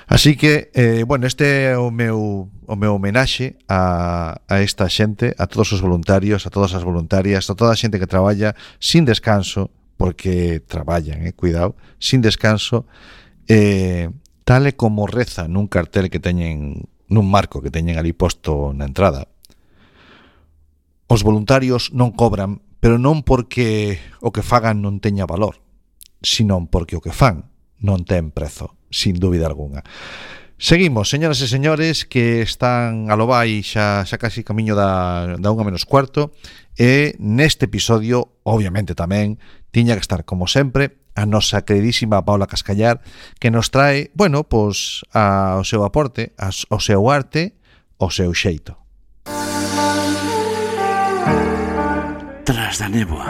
Así que, bueno, este é o meu homenaxe a esta xente, a todos os voluntarios, a todas as voluntarias, a toda a xente que traballa sin descanso, porque traballan, cuidado, sin descanso, tal e como reza nun cartel que teñen, nun marco que teñen ali posto na entrada. Os voluntarios non cobran, pero non porque o que fagan non teña valor, sino porque o que fan non ten prezo, sin dúbida alguna. Seguimos, señoras e señores, que están a lo vai xa casi camiño da 1:15, e neste episodio, obviamente tamén, tiña que estar, como sempre, a nosa queridísima Paula Cascallar, que nos trae, bueno, pois, o seu aporte, o seu arte, o seu xeito. Tras da néboa,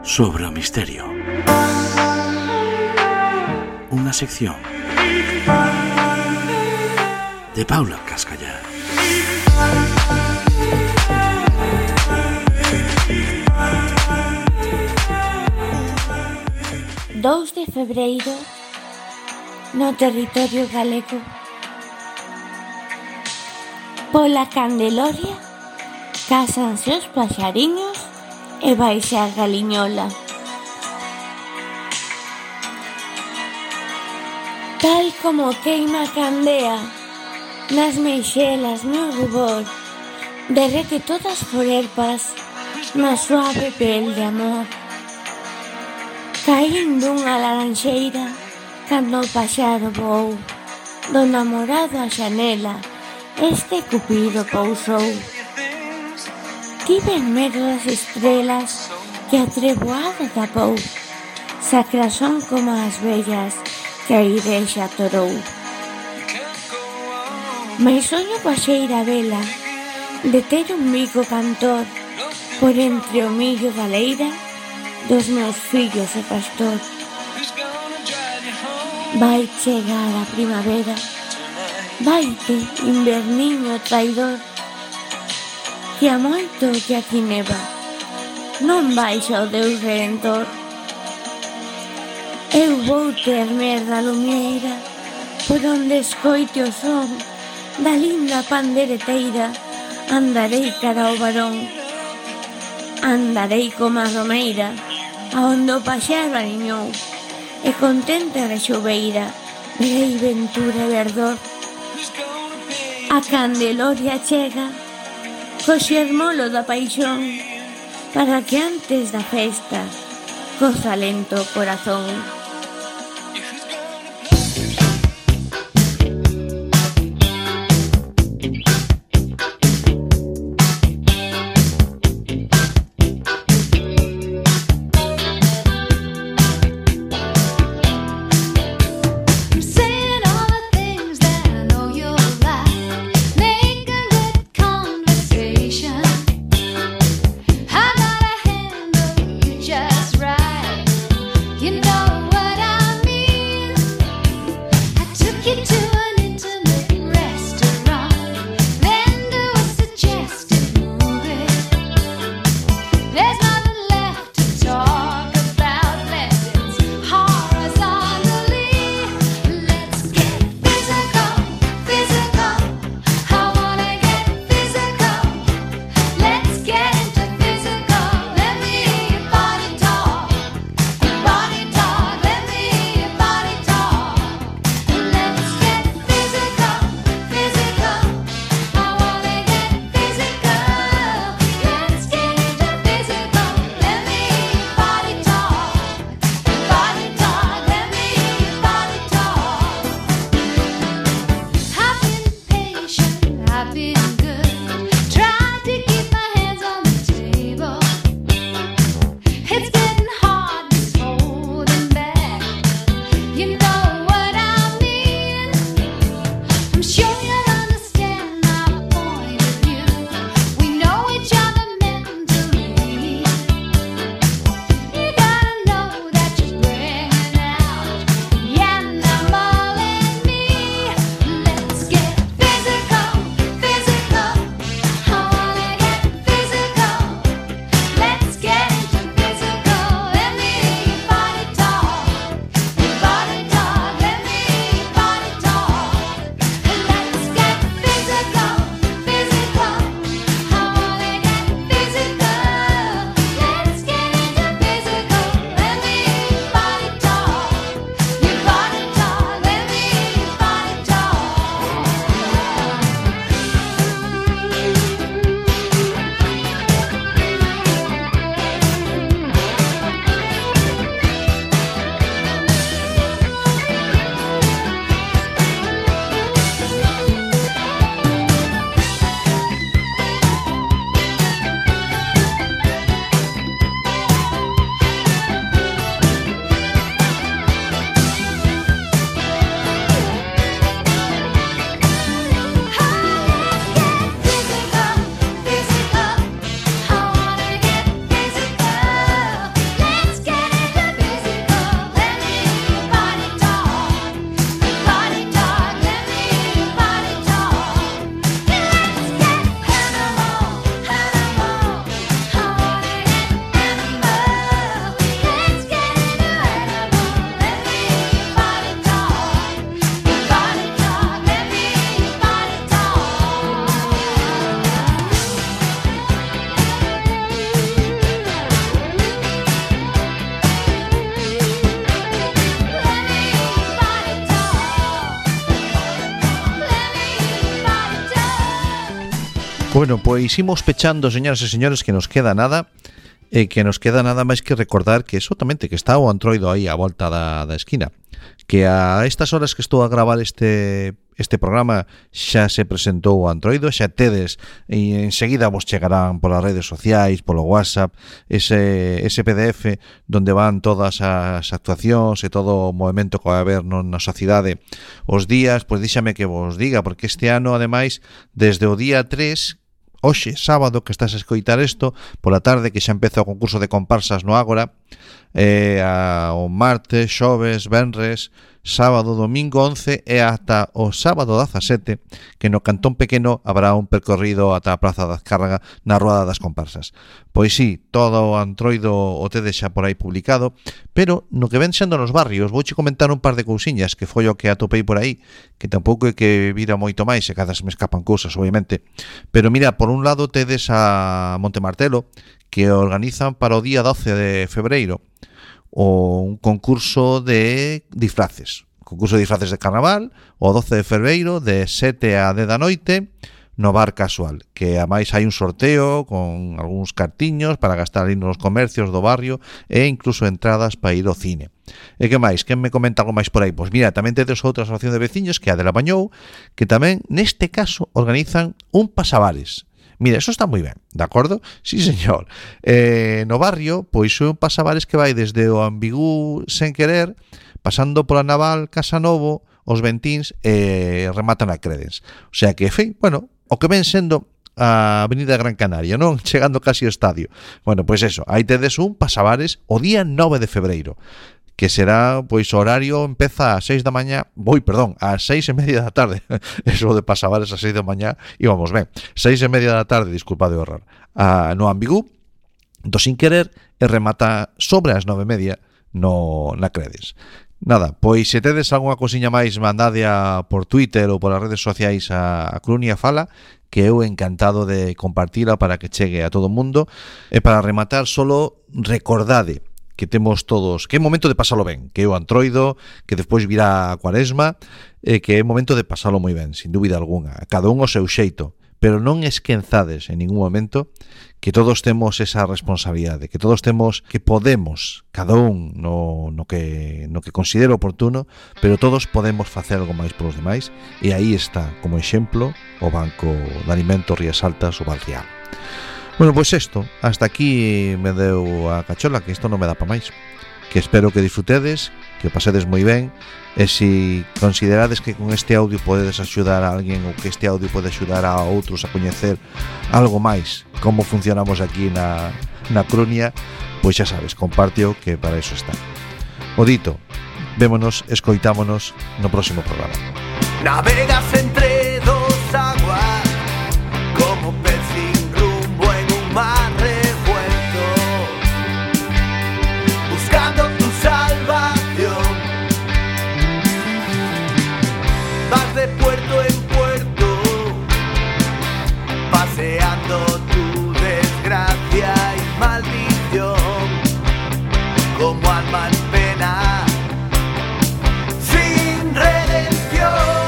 sobre o misterio. Unha sección de Paula Cascallar. Dous de febreiro, no territorio galego. Pola Candeloria cásanse os paxariños e vaise a galiñola. Tal como queima a candea nas meixelas no rubor, derrete todas forerpas na suave pel de amor. Caín dunha laranxeira cando o paxaro voou, do namorado a xanela este cupido pousou. Tiven medo das estrelas que a treboada tapou, sacras son como as vellas que a igrexa atorou. Mais soño coa xeira vela de ter un mico cantor por entre o millo da leira dos meus fillos e pastor. Vai chegar a primavera, vaite, inverniño traidor, que a moito que aquí neva non baixa o Deus Redentor. Eu vou ter merda lumieira por onde escoite o son da linda pandereteira. Andarei cara ao varón, andarei como a romeira aonde o paxaro aniñou, e contente a xubeira verei ventura e verdor. A Candeloria chega co xermolo da paixón, para que antes da festa coza lento o corazón. You know what? Bueno, pois imos pechando, señoras e señores, que nos queda nada máis que recordar que exactamente que está o Antroido aí á volta da esquina, que a estas horas que estou a gravar este programa xa se presentou o Antroido, xa tedes e enseguida vos chegarán polas redes sociais, polo WhatsApp, ese PDF donde van todas as actuacións e todo o movimento que vai haber na sociedade os días. Pois díxame que vos diga, porque este ano ademais desde o día 3, hoxe, sábado, que estás a escoitar isto, pola tarde, que xa empeza o concurso de comparsas no Ágora, o martes, xoves, venres, sábado, domingo 11 e ata o sábado 17, que no Cantón Pequeno habrá un percorrido ata a Praza da Azcárraga na Ruada das Comparsas. Pois sí, todo o Antroido o tedes xa por aí publicado, pero no que ven sendo nos barrios, vouche comentar un par de cousiñas que foi o que atopei por aí, que tampouco é que vira moito máis, e cada se me escapan cousas, obviamente. Pero mira, por un lado tedes a Montemartelo, que organizan para o día 12 de febreiro un concurso de disfraces. Concurso de disfraces de carnaval, o 12 de febreiro, de 7 a 10 da noite, no Bar Casual, que ademais hai un sorteo con algúns cartiños para gastar aí nos comercios do barrio e incluso entradas para ir ao cine. E que máis? Quen me comenta algo máis por aí? Pois mira, tamén tedes outra asociación de veciños, que é a de La Bañou, que tamén neste caso organizan un pasabares. Mira, eso está moi ben, de acordo? Sí, señor. No barrio, pois é un pasabares que vai desde o Ambigú Sen Querer, pasando pola Naval, Casanovo, os Ventíns e rematan a Credens. O sea que, bueno, o que ven sendo a Avenida Gran Canaria, non? Chegando casi ao estadio. Bueno, pois eso, aí tedes un pasabares o día 9 de febreiro, que será, pois, o horario empeza ás 6 da mañá, ás 6:30 da tarde. Eso de pasabares ás 6 da mañá, íbamos ben. 6:30 da tarde, disculpade o errar, no Ambigú, do Sin Querer, e remata sobre as 9:30 na Credes. Nada, pois se tedes algunha cosiña máis, mandádea por Twitter ou polas redes sociais a Crunia Fala, que eu encantado de compartila para que chegue a todo o mundo. E para rematar, solo recordade que temos todos, que é momento de pasalo ben, que é o Antroido, que despois virá a Cuaresma, que é momento de pasalo moi ben, sin dúbida alguna, cada un o seu xeito, pero non esquenzades en ningún momento que todos temos esa responsabilidade, que todos temos, que podemos, cada un no que considere oportuno, pero todos podemos facer algo máis polos demais, e aí está, como exemplo, o Banco de Alimentos Rías Altas, o Valrial. Bueno, pois isto, hasta aquí me deu a cachola, que isto non me dá pa máis. Que espero que disfrutedes, que o pasedes moi ben, e se considerades que con este audio podedes axudar a alguén, ou que este audio pode axudar a outros a coñecer algo máis como funcionamos aquí na Crunia, pois xa sabes, compárteo, que para iso está. O dito, vémonos, escoitámonos no próximo programa. Navegas entre dos aguas como pez sin rumbo en un mar revuelto, buscando tu salvación. Vas de puerto en puerto, paseando tu desgracia y maldición, como alma en pena, sin redención.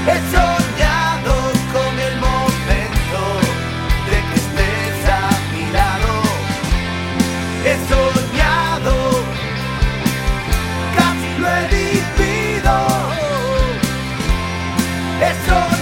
He soñado con el momento de que estés a mi lado. He soñado, casi lo he vivido. He soñado.